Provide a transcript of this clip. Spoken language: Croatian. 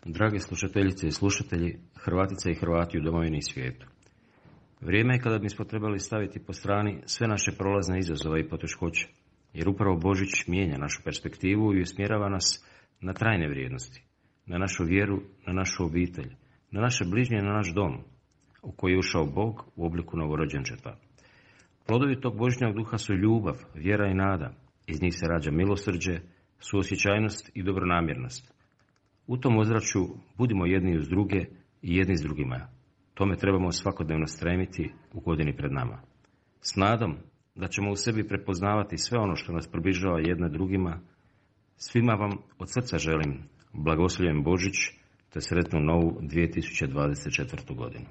Drage slušateljice i slušatelji, Hrvatice i Hrvati u domovini i svijetu. Vrijeme je kada bismo trebali staviti po strani sve naše prolazne izazove i poteškoće, jer upravo Božić mijenja našu perspektivu i usmjerava nas na trajne vrijednosti, na našu vjeru, na našu obitelj, na naše bližnje, na naš dom, u koji je ušao Bog u obliku novorođenčeta. Plodovi tog Božjnog duha su ljubav, vjera i nada. Iz njih se rađa milosrđe, suosjećajnost i dobronamjernost. U tom ozračju budimo jedni uz druge i jedni s drugima. Tome trebamo svakodnevno stremiti u godini pred nama. S nadom da ćemo u sebi prepoznavati sve ono što nas približava jedne drugima, svima vam od srca želim blagoslovljen Božić te sretnu novu 2024. godinu.